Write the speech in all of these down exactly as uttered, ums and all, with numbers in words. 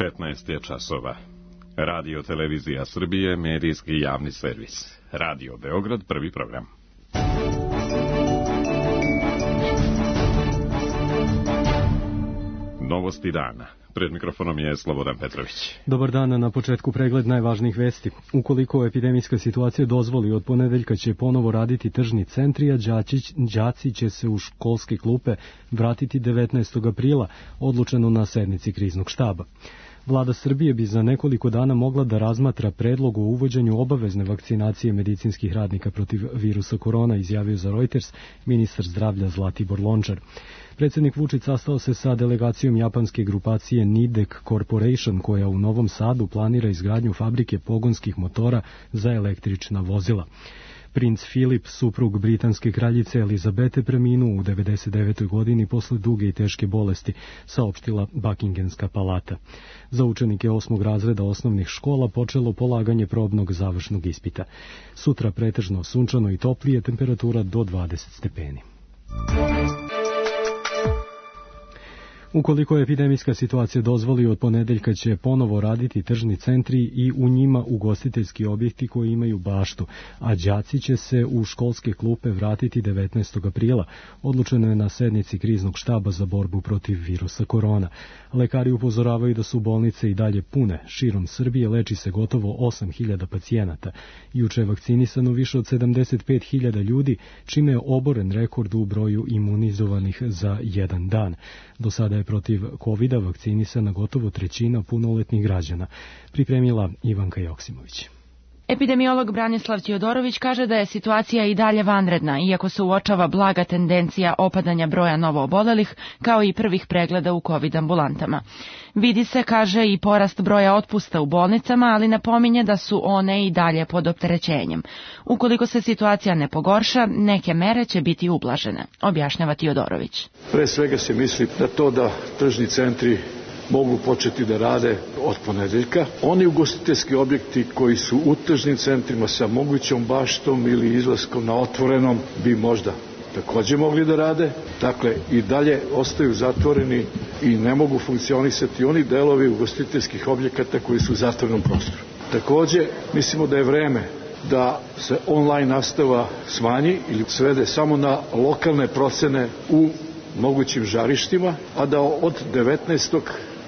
petnaest je časova. Radio Televizija Srbije, medijski javni servis. Radio Beograd, prvi program. Novosti dana. Pred mikrofonom je Slobodan Petrović. Dobar dan, na početku pregled najvažnijih vesti. Ukoliko epidemijska situacija dozvoli, od ponedeljka će ponovo raditi tržni centri, a đaci će se u školske klupe vratiti devetnaestog aprila, odlučeno na sednici kriznog štaba. Vlada Srbije bi za nekoliko dana mogla da razmatra predlog o uvođenju obavezne vakcinacije medicinskih radnika protiv virusa korona, izjavio za Reuters ministar zdravlja Zlatibor Lončar. Predsjednik Vučić sastao se sa delegacijom japanske grupacije Nidec Corporation, koja u Novom Sadu planira izgradnju fabrike pogonskih motora za električna vozila. Princ Filip, suprug britanske kraljice Elizabete, preminuo u devedeset devetoj godini posle duge i teške bolesti, saopštila Buckinghamska palata. Za učenike osmog razreda osnovnih škola počelo polaganje probnog završnog ispita. Sutra pretežno sunčano i toplije, temperatura do dvadeset stepeni. Ukoliko epidemijska situacija dozvoli, od ponedeljka će ponovo raditi tržni centri i u njima ugostiteljski objekti koji imaju baštu, a đaci će se u školske klupe vratiti devetnaestog aprila, odlučeno je na sednici kriznog štaba za borbu protiv virusa korona. Lekari upozoravaju da su bolnice i dalje pune. Širom Srbije leči se gotovo osam hiljada pacijenata. Juče je vakcinisano više od sedamdeset pet hiljada ljudi, čime je oboren rekord u broju imunizovanih za jedan dan. Do sada je protiv kovida vakcinisana gotovo trećina punoletnih građana, pripremila Ivanka Joksimović. Epidemiolog Branislav Ćiodorović kaže da je situacija i dalje vanredna, iako se uočava blaga tendencija opadanja broja novoobolelih, kao i prvih pregleda u COVID ambulantama. Vidi se, kaže, i porast broja otpusta u bolnicama, ali napominje da su one i dalje pod opterećenjem. Ukoliko se situacija ne pogorša, neke mere će biti ublažene, objašnjava Ćiodorović. Pre svega se misli na to da tržni centri mogu početi da rade od ponedeljka. Oni ugostiteljski objekti koji su u tržnim centrima sa mogućom baštom ili izlaskom na otvorenom bi možda takođe mogli da rade. Dakle, i dalje ostaju zatvoreni i ne mogu funkcionisati oni delovi ugostiteljskih objekata koji su u zatvorenom prostoru. Takođe, mislimo da je vreme da se online nastava smanji ili svede samo na lokalne procene u mogućim žarištima, a da od devetnaestog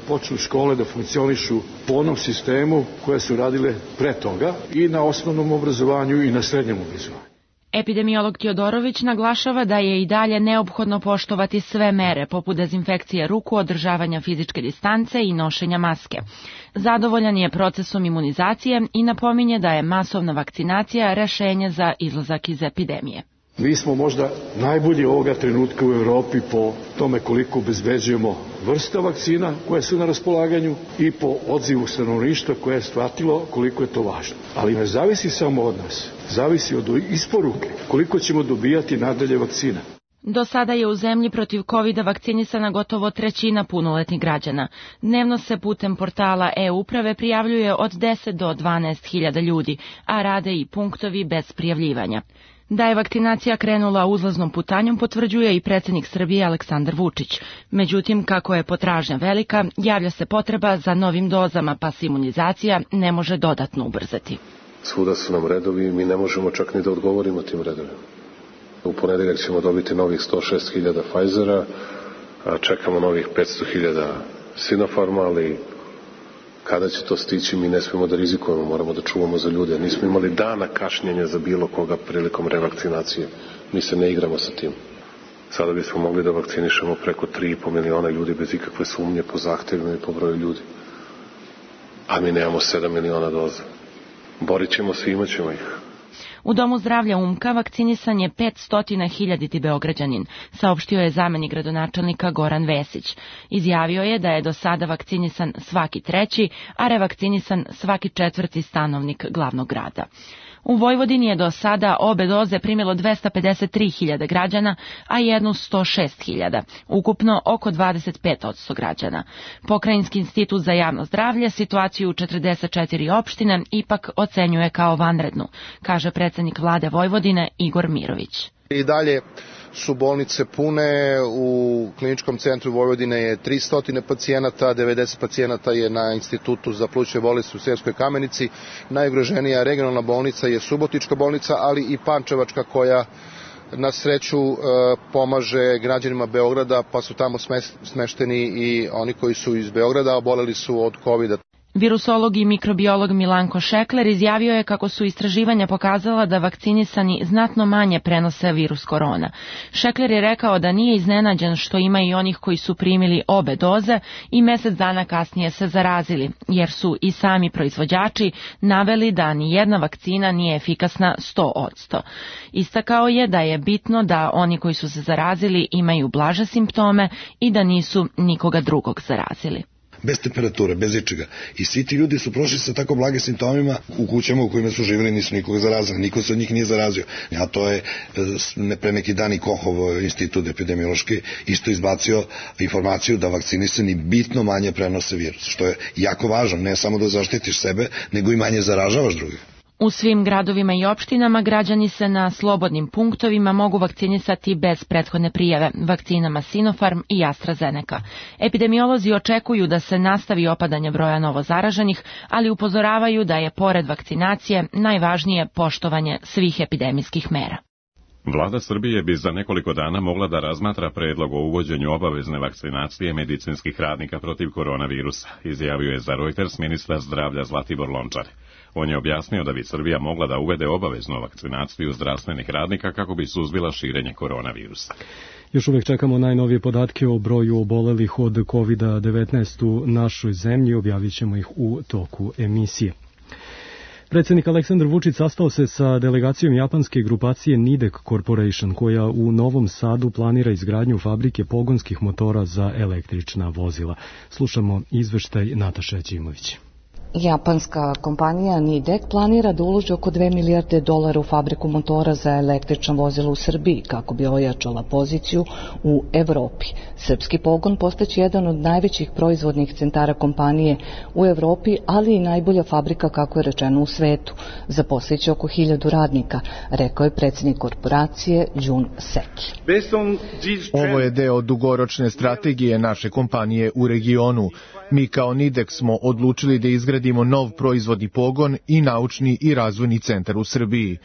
počnu škole da funkcionišu po onom sistemu koje su radile pre toga i na osnovnom obrazovanju i na srednjem obrazovanju. Epidemiolog Ćiodorović naglašava da je i dalje neophodno poštovati sve mere, poput dezinfekcije ruku, održavanja fizičke distance i nošenja maske. Zadovoljan je procesom imunizacije i napominje da je masovna vakcinacija rešenje za izlazak iz epidemije. Mi smo možda najbolji ovoga trenutka u Evropi po tome koliko obezbeđujemo vrsta vakcina koje su na raspolaganju i po odzivu stanovništva koje je shvatilo koliko je to važno. Ali ne zavisi samo od nas, zavisi od isporuke koliko ćemo dobijati nadalje vakcina. Do sada je u zemlji protiv kovida vakcinisana gotovo trećina punoletnih građana. Dnevno se putem portala e-uprave prijavljuje od deset do dvanaest hiljada ljudi, a rade i punktovi bez prijavljivanja. Da je vakcinacija krenula uzlaznom putanjom potvrđuje i predsjednik Srbije Aleksandar Vučić. Međutim, kako je potražnja velika, javlja se potreba za novim dozama, pa se imunizacija ne može dodatno ubrzati. Svuda su nam redovi i mi ne možemo čak ni da odgovorimo tim redovima. U ponedeljak ćemo dobiti novih sto šest hiljada Pfizera, a čekamo novih petsto hiljada Sinopharma, ali kada će to stići, mi ne smemo da rizikujemo, moramo da čuvamo za ljude. Nismo imali dana kašnjenja za bilo koga prilikom revakcinacije. Mi se ne igramo sa tim. Sada bismo mogli da vakcinišemo preko tri i po miliona ljudi bez ikakve sumnje po zahtevima i po broju ljudi. A mi nemamo sedam miliona doza. Borit ćemo se i imat ćemo ih. U Domu zdravlja Umka vakcinisan je petsto hiljaditi Beograđanin, saopštio je zamenik gradonačelnika Goran Vesić. Izjavio je da je do sada vakcinisan svaki treći, a revakcinisan svaki četvrti stanovnik glavnog grada. U Vojvodini je do sada obe doze primilo dvesta pedeset tri hiljade građana, a jednu sto šest hiljada, ukupno oko dvadeset pet posto građana. Pokrajinski institut za javno zdravlje situaciju u četrdeset četiri opštine ipak ocenjuje kao vanrednu, kaže predsjednik vlade Vojvodine Igor Mirović. I dalje su bolnice pune, u kliničkom centru Vojvodine je tristo pacijenata, devedeset pacijenata je na Institutu za plućne bolesti u Sremskoj Kamenici. Najugroženija regionalna bolnica je Subotička bolnica, ali i Pančevačka koja na sreću pomaže građanima Beograda, pa su tamo smešteni i oni koji su iz Beograda, oboleli su od kovida. Virusolog i mikrobiolog Milanko Šekler izjavio je kako su istraživanja pokazala da vakcinisani znatno manje prenose virus korona. Šekler je rekao da nije iznenađen što ima i onih koji su primili obe doze i mesec dana kasnije se zarazili, jer su i sami proizvođači naveli da ni jedna vakcina nije efikasna sto posto. Istakao je da je bitno da oni koji su se zarazili imaju blaže simptome i da nisu nikoga drugog zarazili. Bez temperature, bez ičega. I svi ti ljudi su prošli sa tako blagim simptomima u kućama u kojima su živjeli, nisu nikoga zarazili, niko se od njih nije zarazio. A to je pre neki dan i Kohov institut epidemiološki isto izbacio informaciju da vakcinisani bitno manje prenose virus, što je jako važno, ne samo da zaštitiš sebe, nego i manje zaražavaš drugih. U svim gradovima i opštinama građani se na slobodnim punktovima mogu vakcinisati bez prethodne prijave vakcinama Sinopharm i AstraZeneca. Epidemiolozi očekuju da se nastavi opadanje broja novozaraženih, ali upozoravaju da je pored vakcinacije najvažnije poštovanje svih epidemijskih mera. Vlada Srbije bi za nekoliko dana mogla da razmatra predlog o uvođenju obavezne vakcinacije medicinskih radnika protiv koronavirusa, izjavio je za Reuters ministar zdravlja Zlatibor Lončar. On je objasnio da bi Srbija mogla da uvede obaveznu vakcinaciju zdravstvenih radnika kako bi suzbila širenje koronavirusa. Još uvek čekamo najnovije podatke o broju obolelih od kovid devetnaest u našoj zemlji, objavit ćemo ih u toku emisije. Predsjednik Aleksandar Vučić sastao se sa delegacijom japanske grupacije Nidek Corporation, koja u Novom Sadu planira izgradnju fabrike pogonskih motora za električna vozila. Slušamo izveštaj Nataše Ćimović. Japanska kompanija Nidek planira da uloži oko dve milijarde dolara u fabriku motora za električna vozila u Srbiji kako bi ojačala poziciju u Evropi. Srpski pogon postaće jedan od najvećih proizvodnih centara kompanije u Evropi, ali i najbolja fabrika, kako je rečeno, u svetu. Zaposliće oko hiljadu radnika, rekao je predsjednik korporacije Jun Seki. Ovo je deo dugoročne strategije naše kompanije u regionu. Mi kao Nidek smo odlučili da izgradimo nov proizvodni pogon i naučni i razvojni centar u Srbiji.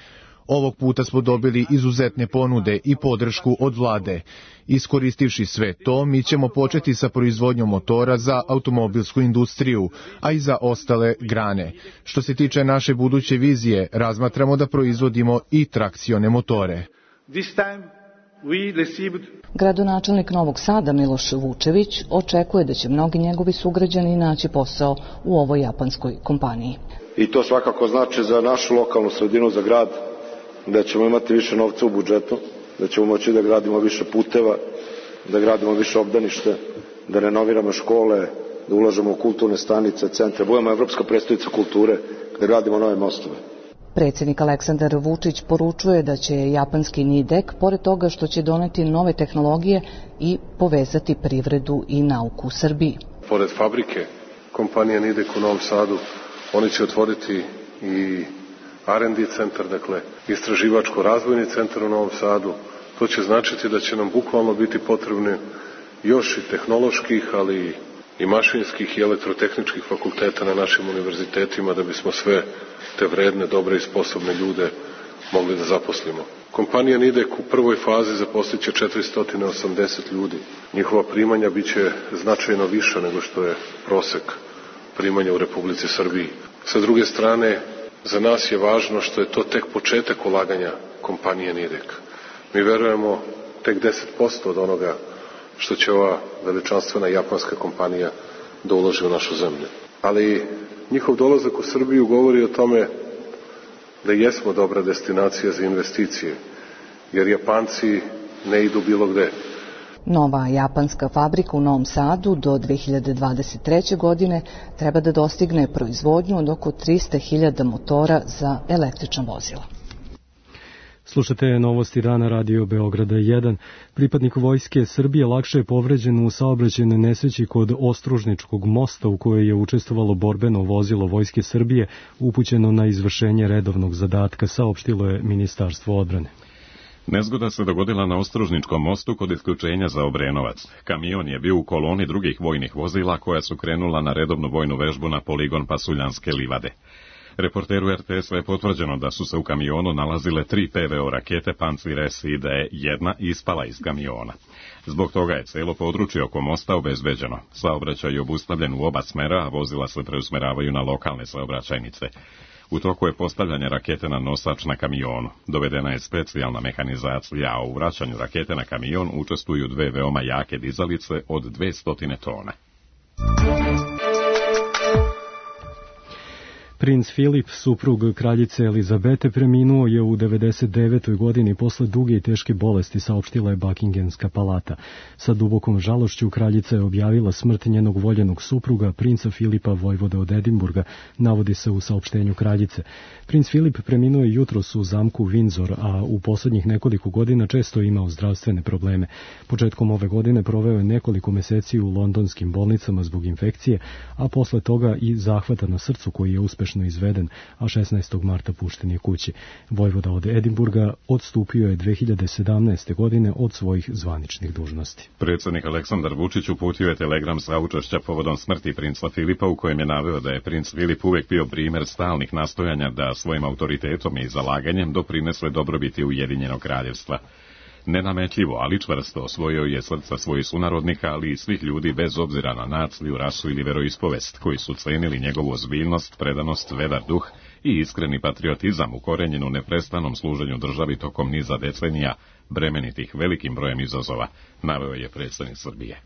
Ovog puta smo dobili izuzetne ponude i podršku od vlade. Iskoristivši sve to, mi ćemo početi sa proizvodnjom motora za automobilsku industriju, a i za ostale grane. Što se tiče naše buduće vizije, razmatramo da proizvodimo i trakcione motore. Gradonačelnik Novog Sada Miloš Vučević očekuje da će mnogi njegovi sugrađani naći posao u ovoj japanskoj kompaniji. I to svakako znači za našu lokalnu sredinu, za grad, da ćemo imati više novca u budžetu, da ćemo moći da gradimo više puteva, da gradimo više obdanište, da renoviramo škole, da ulažemo u kulturne stanice, centre, budemo evropska prestolnica kulture, da gradimo nove mostove. Predsjednik Aleksandar Vučić poručuje da će japanski Nidek, pored toga što će doneti nove tehnologije, i povezati privredu i nauku u Srbiji. Pored fabrike, kompanija Nidek u Novom Sadu, oni će otvoriti i R and D centar, dakle istraživačko-razvojni centar u Novom Sadu. To će značiti da će nam bukvalno biti potrebne još i tehnoloških, ali i mašinskih i elektrotehničkih fakulteta na našim univerzitetima da bismo sve te vredne, dobre i sposobne ljude mogli da zaposlimo. Kompanija Nidek u prvoj fazi zaposlit će četiristo osamdeset ljudi. Njihova primanja biće značajno više nego što je prosek primanja u Republici Srbiji. Sa druge strane, za nas je važno što je to tek početak ulaganja kompanije Nidek. Mi verujemo tek deset posto od onoga što će ova veličanstvena japanska kompanija da uloži u našu zemlju. Ali njihov dolazak u Srbiju govori o tome da jesmo dobra destinacija za investicije, jer Japanci ne idu bilo gde. Nova japanska fabrika u Novom Sadu do dve hiljade dvadeset treće. godine treba da dostigne proizvodnju od oko trista hiljada motora za električna vozila. Slušate novosti dana Radio Beograda jedan. Pripadnik vojske Srbije lakše je povređen u saobraćajnoj nesreći kod Ostružničkog mosta u kojoj je učestvovalo borbeno vozilo vojske Srbije upućeno na izvršenje redovnog zadatka, saopštilo je Ministarstvo odbrane. Nezgoda se dogodila na Ostružničkom mostu kod isključenja za Obrenovac. Kamion je bio u koloni drugih vojnih vozila koja su krenula na redovnu vojnu vežbu na poligon Pasuljanske livade. Reporteru er te es je potvrđeno da su se u kamionu nalazile tri pe ve o rakete Pancir es i da je jedna ispala iz kamiona. Zbog toga je celo područje oko mosta obezbeđeno. Saobraćaj je obustavljen u oba smera, a vozila se preusmeravaju na lokalne saobraćajnice. U toku je postavljanje rakete na nosač na kamionu. Dovedena je specijalna mehanizacija, a u vraćanju rakete na kamion učestvuju dve veoma jake dizalice od dvesta tona. Princ Filip, suprug kraljice Elizabete, preminuo je u devedeset devetoj godini posle duge i teške bolesti, saopštila je Buckinghamska palata. Sa dubokom žalošću kraljica je objavila smrt njenog voljenog supruga, princa Filipa, vojvode od Edinburga, navodi se u saopštenju kraljice. Princ Filip preminuo je jutros u zamku Windsor, a u poslednjih nekoliko godina često je imao zdravstvene probleme. Početkom ove godine proveo je nekoliko meseci u londonskim bolnicama zbog infekcije, a posle toga i zahvata na srcu koji je uspešno izveden, a šesnaestog marta pušten je kući. Vojvoda od Edinburga odstupio je dve hiljade sedamnaeste. godine od svojih zvaničnih dužnosti. Predsjednik Aleksandar Vučić uputio je telegram saučešća povodom smrti princa Filipa, u kojem je naveo da je princ Filip uvek bio primer stalnih nastojanja da svojim autoritetom i zalaganjem doprinese dobrobiti Ujedinjenog kraljevstva. Nenametljivo, ali čvrsto osvojio je srca svojih sunarodnika, ali i svih ljudi bez obzira na naciju, rasu ili veroispovest, koji su cenili njegovu ozbiljnost, predanost, vedar duh i iskreni patriotizam ukorenjen u neprestanom služenju državi tokom niza decenija, bremenitih velikim brojem izazova, naveo je predsjednik Srbije.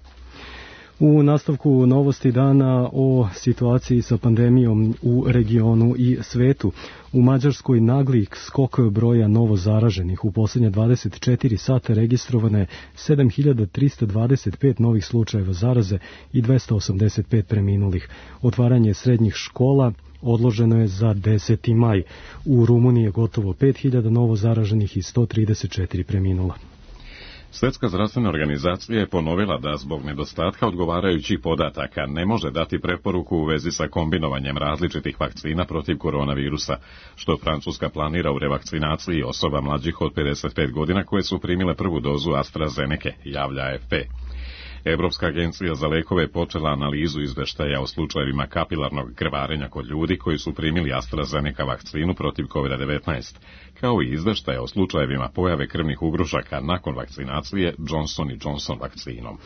U nastavku novosti dana o situaciji sa pandemijom u regionu i svetu. U Mađarskoj nagli skok broja novo zaraženih. U posljednje dvadeset četiri sata registrovano je sedam hiljada trista dvadeset pet novih slučajeva zaraze i dvesta osamdeset pet preminulih. Otvaranje srednjih škola odloženo je za deseti maj. U Rumuniji je gotovo pet hiljada novo zaraženih i sto trideset četiri preminula. Svjetska zdravstvena organizacija je ponovila da zbog nedostatka odgovarajućih podataka ne može dati preporuku u vezi sa kombinovanjem različitih vakcina protiv koronavirusa, što Francuska planira u revakcinaciji osoba mlađih od pedeset pet godina koje su primile prvu dozu AstraZeneke, javlja a ef pe. Evropska agencija za lekove počela analizu izveštaja o slučajevima kapilarnog krvarenja kod ljudi koji su primili AstraZeneca vakcinu protiv kovid devetnaest, kao i izveštaja o slučajevima pojave krvnih ugrušaka nakon vakcinacije Johnson and Johnson vakcinom.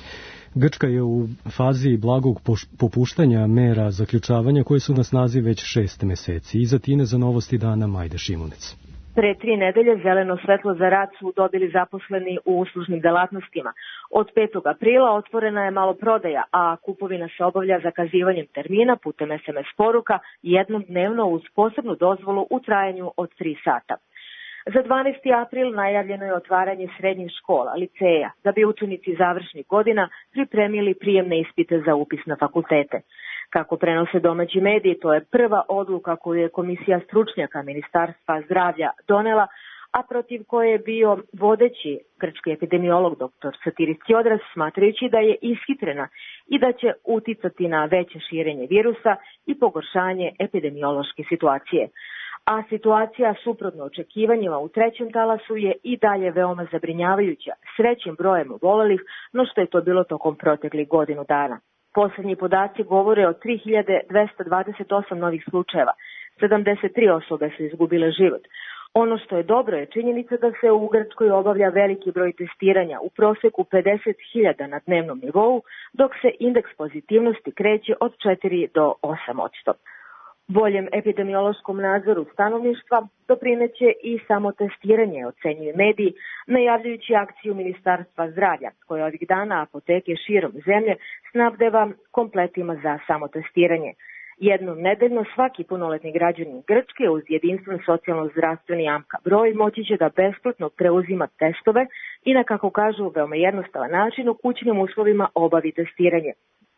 Grčka je u fazi blagog popuštanja mera zaključavanja koje su na snazi već šest meseci. Iza Tine za novosti dana Majda Šimunec. Pre tri nedelje zeleno svetlo za rad su dobili zaposleni u uslužnim delatnostima. Od petog aprila otvorena je maloprodaja, a kupovina se obavlja zakazivanjem termina putem es em es poruka jednom dnevno uz posebnu dozvolu u trajanju od tri sata. Za dvanaesti april najavljeno je otvaranje srednjih škola, liceja, da bi učenici završnih godina pripremili prijemne ispite za upis na fakultete. Kako prenose domaći mediji, to je prva odluka koju je komisija stručnjaka Ministarstva zdravlja donela, a protiv koje je bio vodeći grčki epidemiolog doktor Satiris Tsiodras, smatrajući da je ishitrena i da će uticati na veće širenje virusa i pogoršanje epidemiološke situacije. A situacija suprotno očekivanjima u trećem talasu je i dalje veoma zabrinjavajuća, s većim brojem obolelih, no što je to bilo tokom proteklih godinu dana. Poslednji podaci govore o tri hiljade dvesta dvadeset osam novih slučajeva, sedamdeset tri osobe su izgubile život. Ono što je dobro je činjenica da se u Grčkoj obavlja veliki broj testiranja, u proseku pedeset hiljada na dnevnom nivou, dok se indeks pozitivnosti kreće od četiri do osam posto. Boljem epidemiološkom nadzoru stanovništva doprineće i samo testiranje, ocenjuju mediji, najavljujući akciju Ministarstva zdravlja, koje ovih dana apoteke širom zemlje snabdeva kompletima za samotestiranje. Jednom nedeljno svaki punoletni građanin Grčke uz jedinstven socijalno-zdravstveni A M K A broj moći će da besplatno preuzima testove i na, kako kažu, veoma jednostavan način u kućnim uslovima obavi testiranje.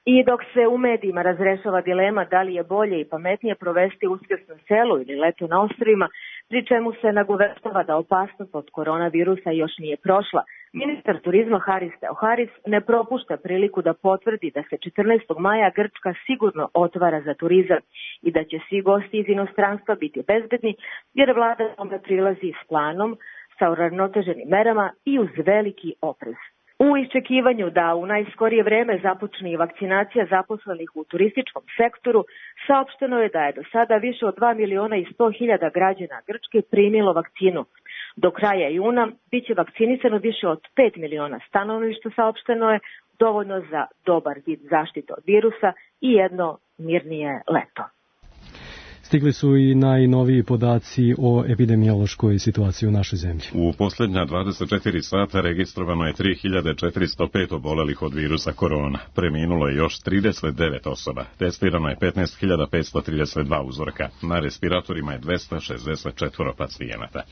I dok se u medijima razrešava dilema da li je bolje i pametnije provesti Uskrs na selu ili leto na ostrvima, pri čemu se nagoveštava da opasnost od koronavirusa još nije prošla, ministar turizma Haris Theoharis ne propušta priliku da potvrdi da se četrnaestog maja Grčka sigurno otvara za turizam i da će svi gosti iz inostranstva biti bezbedni, jer vlada tome prilazi s planom, sa uravnoteženim merama i uz veliki oprez. U iščekivanju da u najskorije vreme započne i vakcinacija zaposlenih u turističkom sektoru, saopšteno je da je do sada više od dva miliona i sto hiljada građana Grčke primilo vakcinu. Do kraja juna biće vakcinisano više od pet miliona stanovništva, saopšteno je, dovoljno za dobar vid zaštite od virusa i jedno mirnije leto. Stigli su i najnoviji podaci o epidemiološkoj situaciji u našoj zemlji. U posljednja dvadeset četiri sata registrovano je tri hiljade četiristo pet obolelih od virusa korona. Preminulo je još trideset devet osoba. Testirano je petnaest hiljada petsto trideset dva uzorka. Na respiratorima je dvesta šezdeset četiri pacijenata.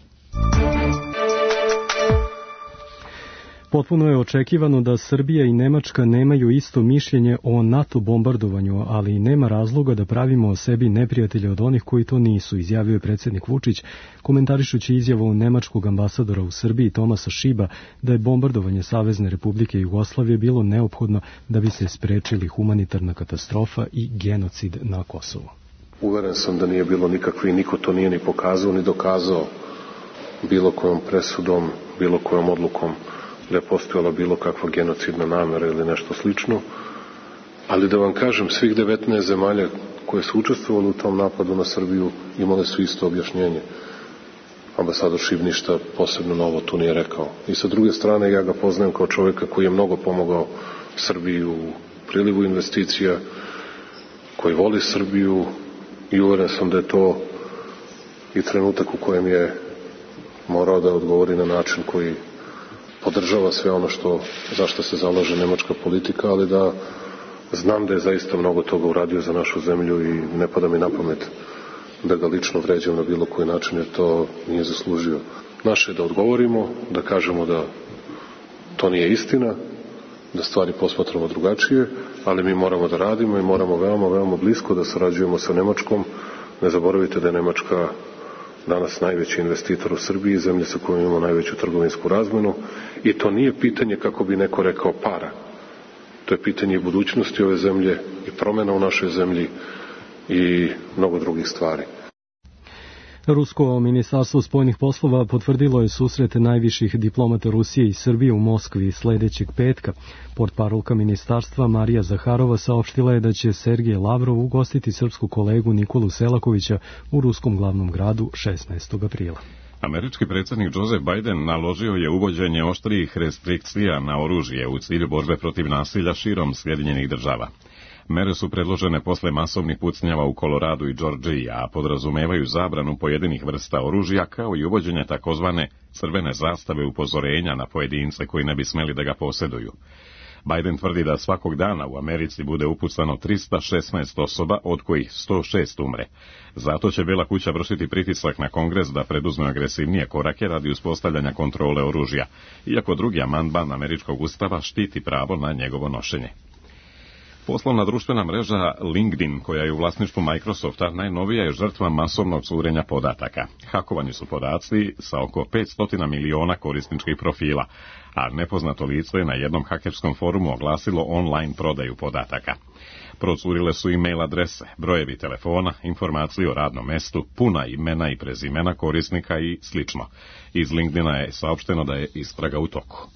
Potpuno je očekivano da Srbija i Nemačka nemaju isto mišljenje o NATO bombardovanju, ali i nema razloga da pravimo o sebi neprijatelje od onih koji to nisu, izjavio je predsjednik Vučić, komentarišući izjavu nemačkog ambasadora u Srbiji Tomasa Šiba da je bombardovanje Savezne Republike Jugoslavije bilo neophodno da bi se sprečili humanitarna katastrofa i genocid na Kosovu. Uveren sam da nije bilo nikakvi, niko to nije ni pokazao ni dokazao bilo kojom presudom, bilo kojom odlukom da je postojala bilo kakva genocidna namera ili nešto slično, ali da vam kažem, svih devetnaest zemalja koje su učestvovali u tom napadu na Srbiju imale su isto objašnjenje. Ambasador Šib ništa posebno novo tu nije rekao. I sa druge strane, ja ga poznajem kao čovjeka koji je mnogo pomogao Srbiji u prilivu investicija, koji voli Srbiju i uveren sam da je to i trenutak u kojem je morao da odgovori na način koji podržava sve ono što, za što se zalaže nemačka politika, ali da znam da je zaista mnogo toga uradio za našu zemlju i ne pada mi na pamet da ga lično vređam na bilo koji način, jer to nije zaslužio. Naše je da odgovorimo, da kažemo da to nije istina, da stvari posmatramo drugačije, ali mi moramo da radimo i moramo veoma, veoma blisko da sarađujemo sa Nemačkom. Ne zaboravite da je Nemačka danas najveći investitor u Srbiji, zemlja sa kojom imamo najveću trgovinsku razmenu, i to nije pitanje, kako bi neko rekao, para. To je pitanje budućnosti ove zemlje i promjena u našoj zemlji i mnogo drugih stvari. Rusko ministarstvo spoljnih poslova potvrdilo je susrete najviših diplomata Rusije i Srbije u Moskvi sledećeg petka. Portparolka ministarstva Marija Zaharova saopštila je da će Sergej Lavrov ugostiti srpsku kolegu Nikolu Selakovića u ruskom glavnom gradu šesnaestog aprila. Američki predsjednik Joseph Biden naložio je uvođenje oštrijih restrikcija na oružje u cilju borbe protiv nasilja širom Sjedinjenih država. Mere su predložene posle masovnih pucnjava u Koloradu i Džordžiji, a podrazumevaju zabranu pojedinih vrsta oružja, kao i uvođenje takozvane crvene zastave upozorenja na pojedince koji ne bi smeli da ga posjeduju. Biden tvrdi da svakog dana u Americi bude upucano trista šesnaest osoba, od kojih sto šest umre. Zato će Bela kuća vršiti pritisak na Kongres da preduzme agresivnije korake radi uspostavljanja kontrole oružja, iako drugi amandman američkog ustava štiti pravo na njegovo nošenje. Poslovna društvena mreža LinkedIn, koja je u vlasništvu Microsofta, najnovija je žrtva masovnog curenja podataka. Hakovani su podaci sa oko petsto miliona korisničkih profila, a nepoznato lice je na jednom hakerskom forumu oglasilo online prodaju podataka. Procurile su e-mail adrese, brojevi telefona, informacije o radnom mestu, puna imena i prezimena korisnika i slično. Iz LinkedIna je saopšteno da je istraga u toku.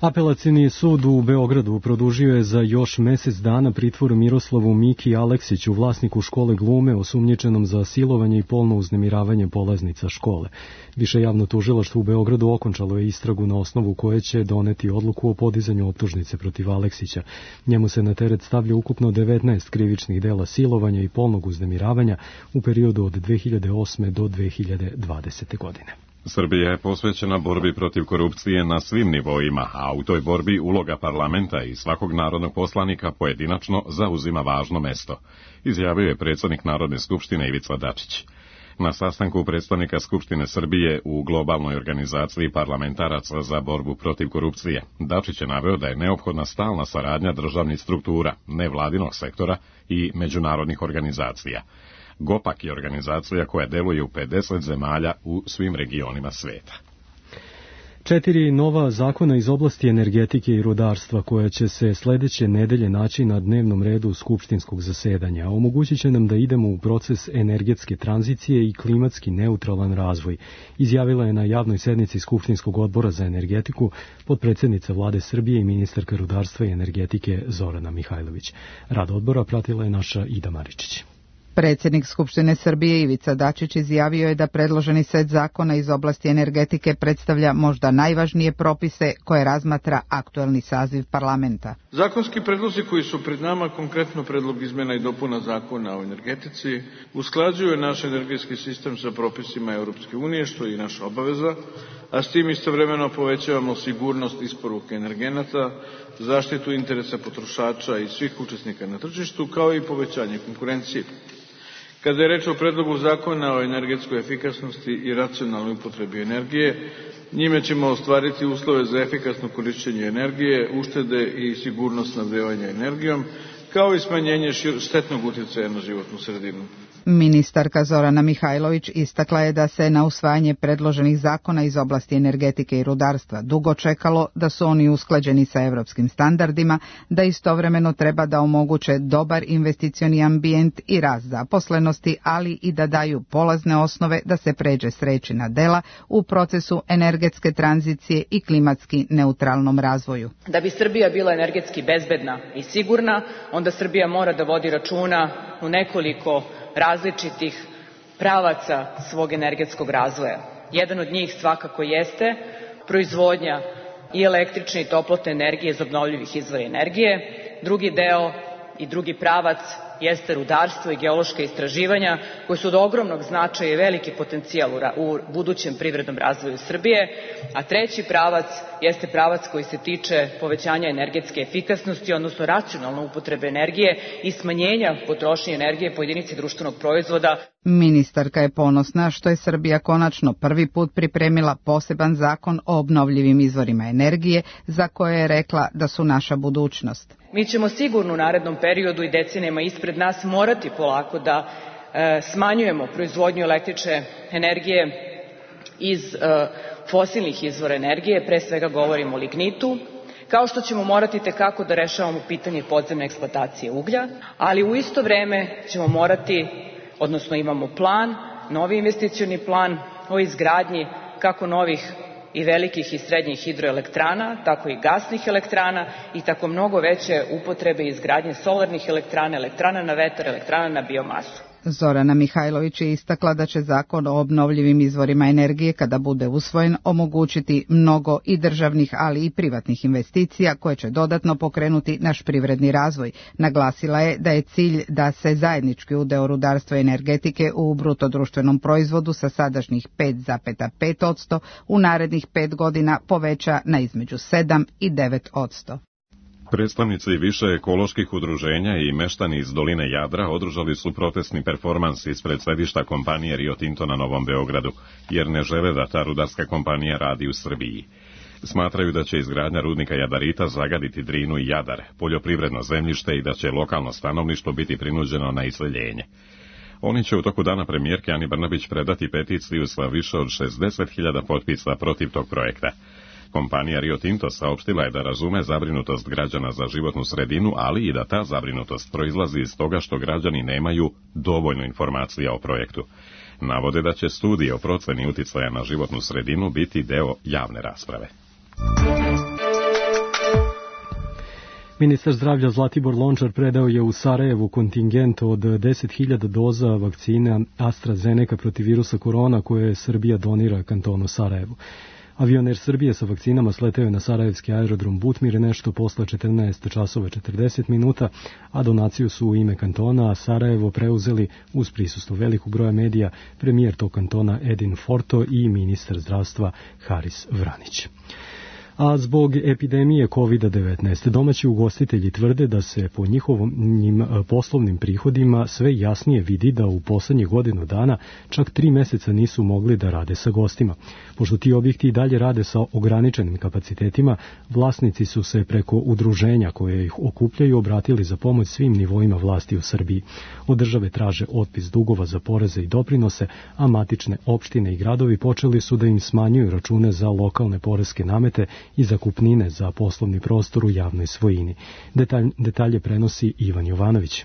Apelacioni sud u Beogradu produžio je za još mjesec dana pritvor Miroslavu Miki Aleksiću, vlasniku škole glume, osumnjičenom za silovanje i polno uznemiravanje polaznica škole. Više javno tužilaštvo u Beogradu okončalo je istragu na osnovu koje će doneti odluku o podizanju optužnice protiv Aleksića. Njemu se na teret stavlja ukupno devetnaest krivičnih dela silovanja i polnog uznemiravanja u periodu od dve hiljade osme do dve hiljade dvadesete. godine. Srbija je posvećena borbi protiv korupcije na svim nivoima, a u toj borbi uloga parlamenta i svakog narodnog poslanika pojedinačno zauzima važno mesto, izjavio je predsjednik Narodne skupštine Ivica Dačić. Na sastanku predstavnika Skupštine Srbije u globalnoj organizaciji parlamentaraca za borbu protiv korupcije, Dačić je naveo da je neophodna stalna saradnja državnih struktura, nevladinog sektora i međunarodnih organizacija. GOPAK je organizacija koja deluje u pedeset zemalja u svim regionima sveta. Četiri nova zakona iz oblasti energetike i rudarstva koja će se sledeće nedelje naći na dnevnom redu skupštinskog zasedanja, omogućit će nam da idemo u proces energetske tranzicije i klimatski neutralan razvoj, izjavila je na javnoj sednici Skupštinskog odbora za energetiku potpredsednica Vlade Srbije i ministarka rudarstva i energetike Zorana Mihajlović. Rad odbora pratila je naša Ida Maričić. Predsjednik Skupštine Srbije Ivica Dačić izjavio je da predloženi set zakona iz oblasti energetike predstavlja možda najvažnije propise koje razmatra aktuelni saziv parlamenta. Zakonski predlozi koji su pred nama, konkretno predlog izmena i dopuna zakona o energetici, usklađuju naš energetski sistem sa propisima Europske unije, što je i naša obaveza, a s tim istovremeno povećavamo sigurnost isporuke energenata, zaštitu interesa potrošača i svih učesnika na tržištu, kao i povećanje konkurencije. Kada je reč o predlogu zakona o energetskoj efikasnosti i racionalnoj upotrebi energije, njime ćemo ostvariti uslove za efikasno korišćenje energije, uštede i sigurnost snabdevanja energijom, kao i smanjenje štetnog utjecaja na životnu sredinu. Ministarka Zorana Mihajlović istakla je da se na usvajanje predloženih zakona iz oblasti energetike i rudarstva dugo čekalo, da su oni usklađeni sa evropskim standardima, da istovremeno treba da omoguće dobar investicioni ambijent i rast zaposlenosti, ali i da daju polazne osnove da se pređe s reči na dela u procesu energetske tranzicije i klimatski neutralnom razvoju. Da bi Srbija bila energetski bezbedna i sigurna, onda Srbija mora da vodi računa u nekoliko različitih pravaca svog energetskog razvoja. Jedan od njih svakako jeste proizvodnja i električne i toplotne energije iz obnovljivih izvora energije. Drugi deo i drugi pravac jeste rudarstvo i geološka istraživanja koji su od ogromnog značaja i veliki potencijal u budućem privrednom razvoju Srbije, a treći pravac jeste pravac koji se tiče povećanja energetske efikasnosti, odnosno racionalne upotrebe energije i smanjenja potrošnje energije po jedinici društvenog proizvoda. Ministarka je ponosna što je Srbija konačno prvi put pripremila poseban zakon o obnovljivim izvorima energije, za koje je rekla da su naša budućnost. Mi ćemo sigurno u narednom periodu i decenijama ispred nas morati polako da e, smanjujemo proizvodnju električne energije iz e, fosilnih izvora energije, pre svega govorimo o lignitu, kao što ćemo morati tekako da rešavamo pitanje podzemne eksploatacije uglja, ali u isto vreme ćemo morati, odnosno imamo plan, novi investicioni plan o izgradnji kako novih i velikih i srednjih hidroelektrana, tako i gasnih elektrana i tako mnogo veće upotrebe i izgradnje solarnih elektrana, elektrana na vetar, elektrana na biomasu. Zorana Mihajlović je istakla da će zakon o obnovljivim izvorima energije, kada bude usvojen, omogućiti mnogo i državnih, ali i privatnih investicija koje će dodatno pokrenuti naš privredni razvoj. Naglasila je da je cilj da se zajednički udeo rudarstva i energetike u bruto društvenom proizvodu sa sadašnjih pet zarez pet posto u narednih pet godina poveća na između sedam i devet posto. Predstavnici više ekoloških udruženja i meštani iz doline Jadra održali su protestni performans ispred sedišta kompanije Rio Tinto na Novom Beogradu, jer ne žele da ta rudarska kompanija radi u Srbiji. Smatraju da će izgradnja rudnika jadarita zagaditi Drinu i Jadar, poljoprivredno zemljište i da će lokalno stanovništvo biti prinuđeno na iseljenje. Oni će u toku dana premijerke Ani Brnabić predati peticiju sa više od šezdeset hiljada potpisa protiv tog projekta. Kompanija Rio Tinto saopštila je da razume zabrinutost građana za životnu sredinu, ali i da ta zabrinutost proizlazi iz toga što građani nemaju dovoljno informacija o projektu. Navode da će studije o proceni uticaja na životnu sredinu biti deo javne rasprave. Ministar zdravlja Zlatibor Lončar predao je u Sarajevu kontingent od deset hiljada doza vakcina AstraZeneca protiv virusa korona koje Srbija donira kantonu Sarajevu. Avioner Srbije sa vakcinama sleteo je na sarajevski aerodrom Butmir nešto posle četrnaest časova četrdeset minuta, a donaciju su u ime kantona Sarajevo preuzeli uz prisustvo velikog broja medija premijer tog kantona Edin Forto i ministar zdravstva Haris Vranić. A zbog epidemije kovid devetnaest domaći ugostitelji tvrde da se po njihovim poslovnim prihodima sve jasnije vidi da u poslednjih godinu dana čak tri meseca nisu mogli da rade sa gostima. Pošto ti objekti i dalje rade sa ograničenim kapacitetima, vlasnici su se preko udruženja koje ih okupljaju obratili za pomoć svim nivoima vlasti u Srbiji. Od države traže otpis dugova za poreze i doprinose, a matične opštine i gradovi počeli su da im smanjuju račune za lokalne poreske namete i zakupnine za poslovni prostor u javnoj svojini. Detalj, detalje prenosi Ivan Jovanović.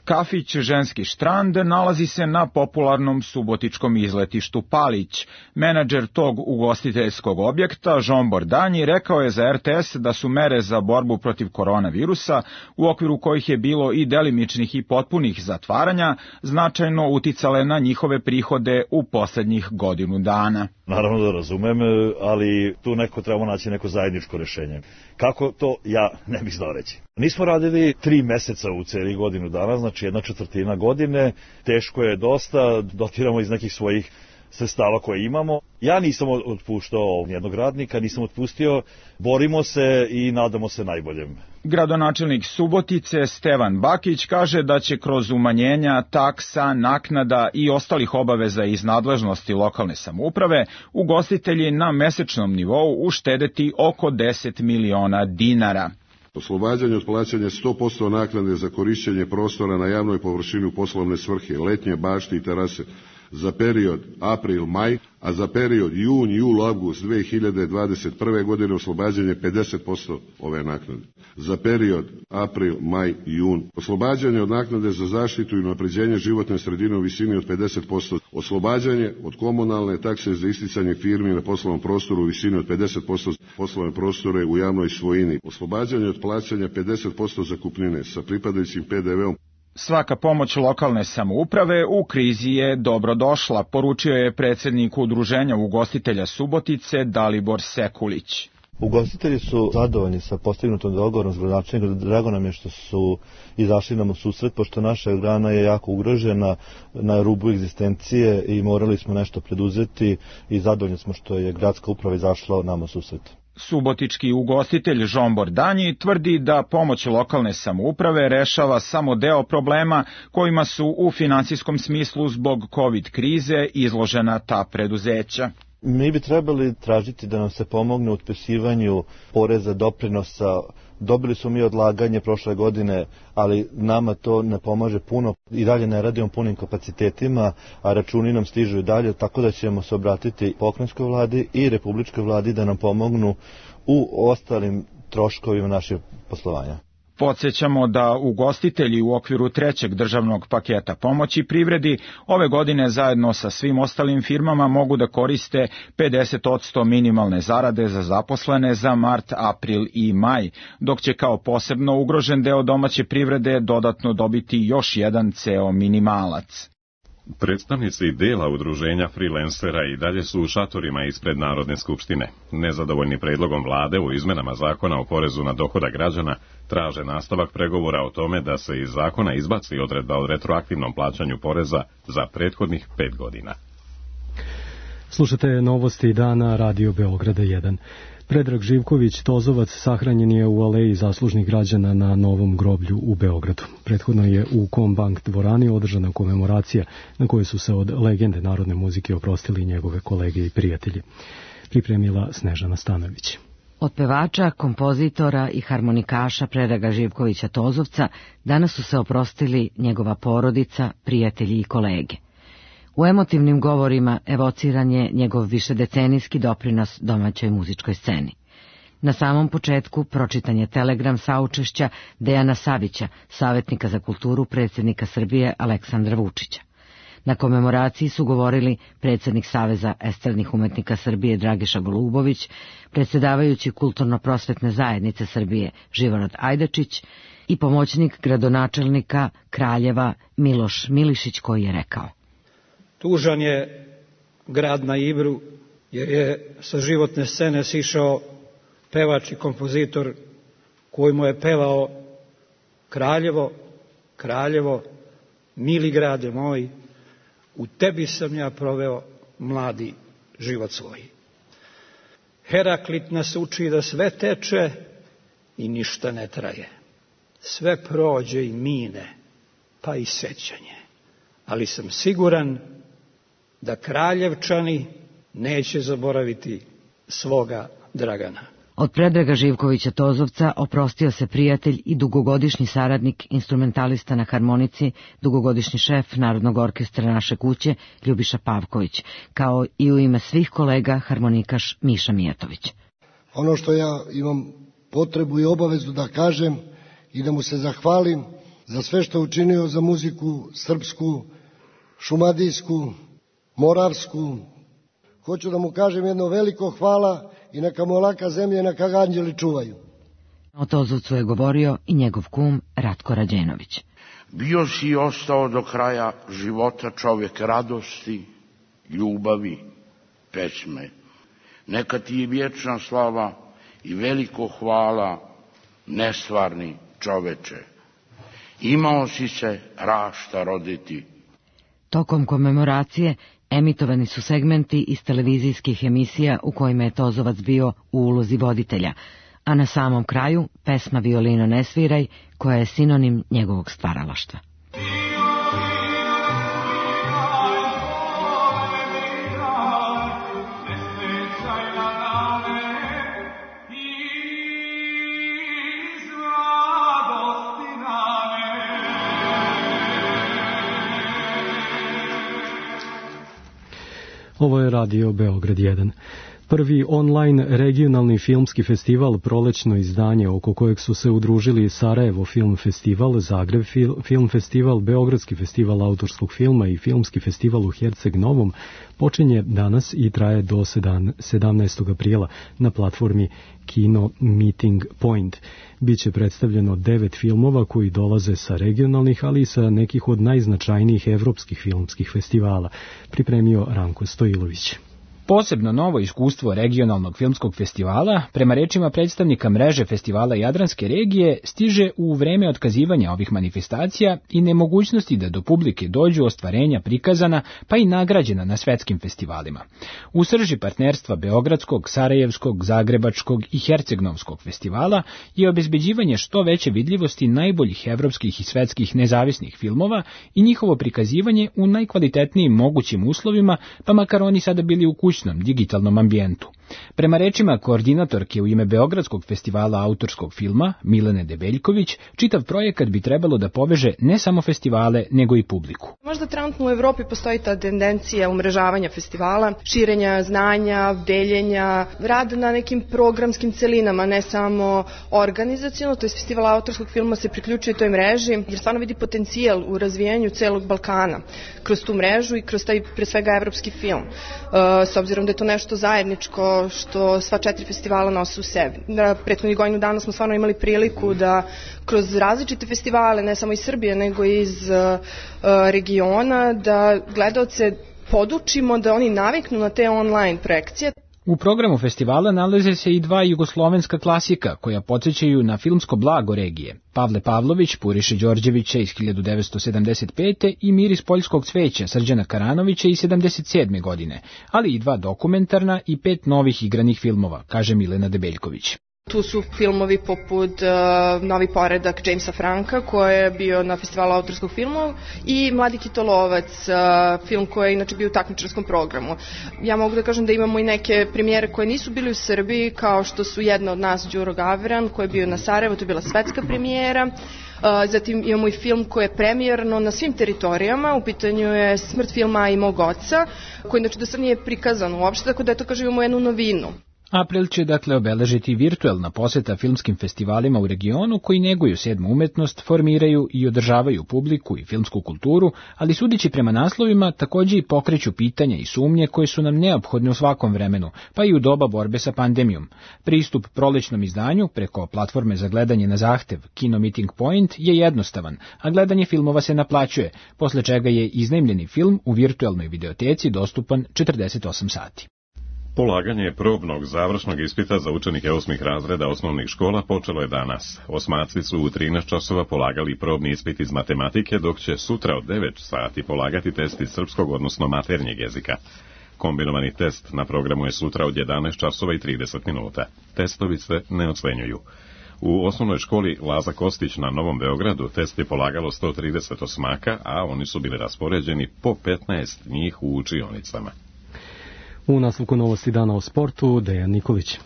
Kafić Ženski štrand nalazi se na popularnom subotičkom izletištu Palić. Menadžer tog ugostiteljskog objekta, Žombor Danji, rekao je za er te es da su mere za borbu protiv koronavirusa, u okviru kojih je bilo i delimičnih i potpunih zatvaranja, značajno uticale na njihove prihode u poslednjih godinu dana. Naravno da razumem, ali tu neko trebamo naći neko zajedničko rešenje. Kako to, ja ne bih znao reći. Nismo radili tri meseca u celi godinu dana, znači jedna četvrtina godine, teško je dosta, dotiramo iz nekih svojih sredstava koje imamo. Ja nisam otpuštao jednog radnika, nisam otpustio, borimo se i nadamo se najboljem. Gradonačelnik Subotice Stevan Bakić kaže da će kroz umanjenja taksa, naknada i ostalih obaveza iz nadležnosti lokalne samouprave ugostitelji na mesečnom nivou uštedeti oko deset miliona dinara. Oslobađanje od plaćanja sto posto naknade za korišćenje prostora na javnoj površini u poslovne svrhe, letnje bašte i terase za period april-maj, a za period jun, jul, avgust dve hiljade dvadeset prve. godine oslobađanje pedeset posto ove naknade. Za period april, maj, jun. Oslobađanje od naknade za zaštitu i unapređenje životne sredine u visini od pedeset posto. Oslobađanje od komunalne takse za isticanje firmi na poslovnom prostoru u visini od pedeset posto poslovne prostore u javnoj svojini. Oslobađanje od plaćanja pedeset posto zakupnine sa pripadajućim pe de veom. Svaka pomoć lokalne samouprave u krizi je dobrodošla, poručio je predsednik Udruženja ugostitelja Subotice Dalibor Sekulić. Ugostitelji su zadovoljni sa postignutom dogovorom s gradonačelnikom. Drago nam je što su izašli nam u susret, pošto naša grana je jako ugrožena na rubu egzistencije i morali smo nešto preduzeti i zadovoljni smo što je gradska uprava izašla nam u susret. Subotički ugostitelj Žombor Danji tvrdi da pomoć lokalne samouprave rešava samo deo problema kojima su u finansijskom smislu zbog covid krize izložena ta preduzeća. Mi bi trebali tražiti da nam se pomogne u otpisivanju poreza, doprinosa. Dobili smo mi odlaganje prošle godine, ali nama to ne pomaže puno. I dalje ne radimo punim kapacitetima, a računi nam stižu i dalje, tako da ćemo se obratiti pokrajinskoj vladi i republičkoj vladi da nam pomognu u ostalim troškovima našeg poslovanja. Podsjećamo da ugostitelji u okviru trećeg državnog paketa pomoći privredi ove godine zajedno sa svim ostalim firmama mogu da koriste pedeset posto minimalne zarade za zaposlene za mart, april i maj, dok će kao posebno ugrožen deo domaće privrede dodatno dobiti još jedan ceo minimalac. Predstavnici dela udruženja freelancera i dalje su u šatorima ispred Narodne skupštine. Nezadovoljni predlogom vlade u izmenama zakona o porezu na dohodak građana traže nastavak pregovora o tome da se iz zakona izbaci odredba o retroaktivnom plaćanju poreza za prethodnih pet godina. Slušate novosti dana Radio Beograda jedan. Predrag Živković Tozovac sahranjen je u aleji zaslužnih građana na Novom groblju u Beogradu. Prethodno je u Kombank dvorani održana komemoracija na kojoj su se od legende narodne muzike oprostili njegove kolege i prijatelji. Pripremila Snežana Stanović. Od pevača, kompozitora i harmonikaša Predraga Živkovića Tozovca danas su se oprostili njegova porodica, prijatelji i kolege. U emotivnim govorima evociran je njegov višedecenijski doprinos domaćoj muzičkoj sceni. Na samom početku pročitan je telegram saučešća Dejana Savića, savjetnika za kulturu predsjednika Srbije Aleksandra Vučića. Na komemoraciji su govorili predsjednik Saveza estradnih umetnika Srbije Dragiša Golubović, predsjedavajući Kulturno-prosvetne zajednice Srbije Živorad Ajdačić i pomoćnik gradonačelnika Kraljeva Miloš Milišić, koji je rekao: Tužan je grad na Ibru, jer je sa životne scene sišao pevač i kompozitor koji mu je pevao: Kraljevo, Kraljevo, mili grade moj, u tebi sam ja proveo mladi život svoj. Heraklit nas uči da sve teče i ništa ne traje. Sve prođe i mine, pa i sećanje. Ali sam siguran da Kraljevčani neće zaboraviti svoga Dragana. Od Predraga Živkovića Tozovca oprostio se prijatelj i dugogodišnji saradnik, instrumentalista na harmonici, dugogodišnji šef Narodnog orkestra Naše kuće Ljubiša Pavković, kao i u ime svih kolega harmonikaš Miša Mijatović. Ono što ja imam potrebu i obavezu da kažem i da mu se zahvalim za sve što je učinio za muziku srpsku, šumadijsku, moravsku. Hoću da mu kažem jedno veliko hvala i neka mu laka zemlja i neka ga anđeli čuvaju. O Tozovcu je govorio i njegov kum Ratko Rađenović. Bio si i ostao do kraja života čovjek radosti, ljubavi, pesme. Neka ti je vječna slava i veliko hvala, nestvarni čoveče. Imao si se rašta roditi. Tokom komemoracije emitovani su segmenti iz televizijskih emisija u kojima je Tozovac bio u ulozi voditelja, a na samom kraju pesma Violino ne sviraj, koja je sinonim njegovog stvaralaštva. Ovo je Radio Beograd jedan. Prvi online regionalni filmski festival, prolećno izdanje oko kojeg su se udružili Sarajevo Film Festival, Zagreb Film Festival, Beogradski festival autorskog filma i Filmski festival u Herceg Novom, počinje danas i traje do sedamnaestog aprila na platformi Kino Meeting Point. Biće predstavljeno devet filmova koji dolaze sa regionalnih, ali i sa nekih od najznačajnijih evropskih filmskih festivala, pripremio Ranko Stojilović. Posebno novo iskustvo regionalnog filmskog festivala, prema rečima predstavnika mreže festivala Jadranske regije, stiže u vreme otkazivanja ovih manifestacija i nemogućnosti da do publike dođu ostvarenja prikazana pa i nagrađena na svetskim festivalima. U srži partnerstva Beogradskog, Sarajevskog, Zagrebačkog i Hercegnovskog festivala je obezbeđivanje što veće vidljivosti najboljih evropskih i svetskih nezavisnih filmova i njihovo prikazivanje u najkvalitetnijim mogućim uslovima, pa makar oni sada bili u kućnom digitalnom ambijentu. Prema rečima koordinatorke u ime Beogradskog festivala autorskog filma, Milene Debeljković, čitav projekat bi trebalo da poveže ne samo festivale, nego i publiku. Možda trenutno u Evropi postoji ta tendencija umrežavanja festivala, širenja znanja, deljenja, rad na nekim programskim celinama, ne samo organizaciono, to je festival autorskog filma se priključuje toj mreži, jer stvarno vidi potencijal u razvijanju celog Balkana kroz tu mrežu i kroz taj, pre svega, evropski film. S obzirom da je to nešto zajedničko što sva četiri festivala nose u sebi. Na prethodnih godinu dana smo stvarno imali priliku da kroz različite festivale, ne samo iz Srbije, nego i iz uh, regiona, da gledaoce podučimo da oni naviknu na te online projekcije. U programu festivala nalaze se i dva jugoslovenska klasika koja podsjećaju na filmsko blago regije. Pavle Pavlović, Puriše Đorđevića iz hiljadu devetsto sedamdeset pete i Miris poljskog cveća Srđana Karanovića iz sedamdeset sedme godine, ali i dva dokumentarna i pet novih igranih filmova, kaže Milena Debeljković. Tu su filmovi poput uh, Novi poredak Jamesa Franka, koji je bio na festivalu autorskog filma, i Mladi kitolovac, uh, film koji je inače bio u takmičarskom programu. Ja mogu da kažem da imamo i neke premijere koje nisu bili u Srbiji, kao što su Jedna od nas, Đuro Gavran, koji je bio na Sarajevo, to je bila svetska premijera. Uh, zatim imamo i film koji je premijerno na svim teritorijama, u pitanju je Smrt filma i mog oca, koji inače do sad nije prikazan uopšte, tako da eto kažem imamo jednu novinu. April će dakle obeležiti virtuelna poseta filmskim festivalima u regionu koji neguju sedmu umetnost, formiraju i održavaju publiku i filmsku kulturu, ali sudeći prema naslovima takođe i pokreću pitanja i sumnje koje su nam neophodne u svakom vremenu, pa i u doba borbe sa pandemijom. Pristup prolećnom izdanju preko platforme za gledanje na zahtev Kino Meeting Point je jednostavan, a gledanje filmova se naplaćuje, posle čega je iznajmljeni film u virtuelnoj videoteci dostupan četrdeset osam sati. Polaganje probnog završnog ispita za učenike osmih razreda osnovnih škola počelo je danas. Osmaci su u trinaest časova polagali probni ispit iz matematike, dok će sutra od devet sati polagati test iz srpskog, odnosno maternjeg jezika. Kombinovani test na programu je sutra od jedanaest časova i trideset minuta. Testovi se ne ocenjuju. U osnovnoj školi Laza Kostić na Novom Beogradu test je polagalo sto trideset osmaka, a oni su bili raspoređeni po petnaest njih u učionicama. U nastavku novosti dana o sportu, Dejan Nikolić.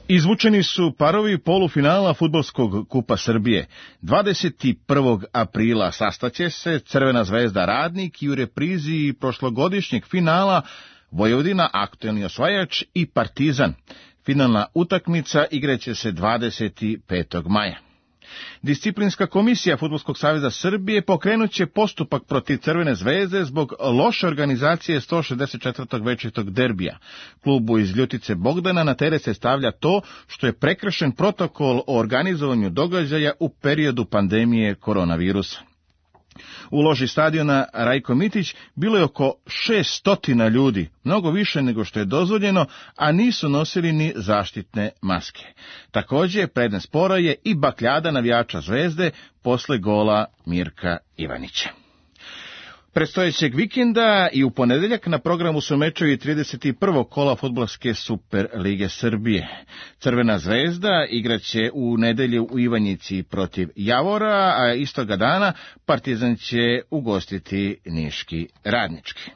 Izvučeni su parovi polufinala Fudbalskog kupa Srbije. dvadeset prvog aprila sastaće se Crvena zvezda Radnik i u reprizi prošlogodišnjeg finala Vojvodina, aktuelni osvajač, i Partizan. Finalna utakmica igraće se dvadeset petog maja. Disciplinska komisija Fudbalskog saveza Srbije pokrenuće postupak protiv Crvene zvezde zbog loše organizacije sto šezdeset četvrtog večitog derbija. Klubu iz Ljutice Bogdana na teret se stavlja to što je prekršen protokol o organizovanju događaja u periodu pandemije koronavirusa. U loži stadiona Rajko Mitić bilo je oko šesnaest ljudi, mnogo više nego što je dozvoljeno, a nisu nosili ni zaštitne maske. Također, predmet spora je i bakljada navijača Zvezde posle gola Mirka Ivanića. Predstojećeg vikenda i u ponedeljak na programu su mečevi trideset prvog kola Fudbalske Super lige Srbije. Crvena zvezda igraće u nedelju u Ivanjici protiv Javora, a istoga dana Partizan će ugostiti Niški Radnički.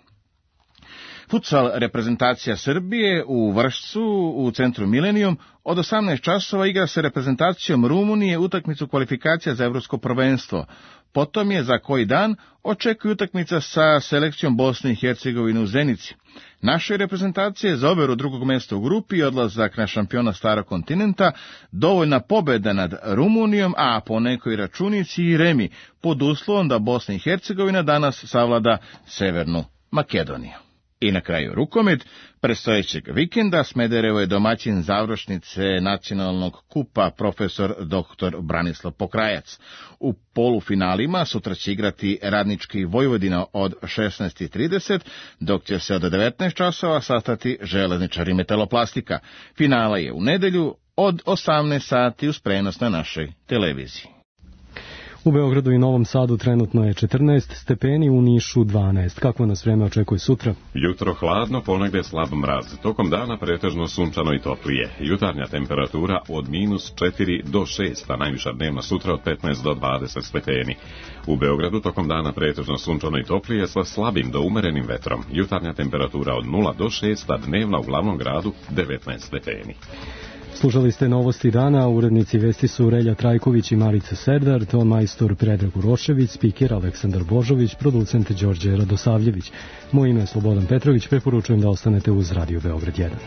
Futsal reprezentacija Srbije u Vršcu u centru Milenijum od osamnaest časova igra se reprezentacijom Rumunije utakmicu kvalifikacija za evropsko prvenstvo. Potom je za koji dan očekuje utakmica sa selekcijom Bosne i Hercegovine u Zenici. Našoj reprezentacije za overu drugog mjesta u grupi i odlazak na šampiona starog kontinenta dovoljna pobjeda nad Rumunijom, a po nekoj računici i remi, pod uslovom da Bosna i Hercegovina danas savlada Severnu Makedoniju. I na kraju rukomet. Predstojećeg vikenda Smederevo je domaćin završnice nacionalnog kupa profesor doktor Branislav Pokrajac. U polufinalima sutra će igrati Radnički Vojvodina od šesnaest i trideset, dok će se od devetnaest časova sastati Železničari Metaloplastika. Finala je u nedelju od osamnaest sati uz prenos na našoj televiziji. U Beogradu i Novom Sadu trenutno je četrnaest stepeni, u Nišu dvanaest. Kako nas vreme očekuje sutra? Jutro hladno, ponegde slab mraz. Tokom dana pretežno sunčano i toplije. Jutarnja temperatura od minus četiri do šest, a najviša dnevna sutra od petnaest do dvadeset stepeni. U Beogradu tokom dana pretežno sunčano i toplije sa slabim do umerenim vetrom. Jutarnja temperatura od nula do šest, a dnevna u glavnom gradu devetnaest stepeni. Slušali ste novosti dana, urednici vesti su Relja Trajković i Marica Serdar, ton majstor Predrag Urošević, spiker Aleksandar Božović, producent Đorđe Radosavljević. Moje ime je Slobodan Petrović, preporučujem da ostanete uz Radio Beograd jedan.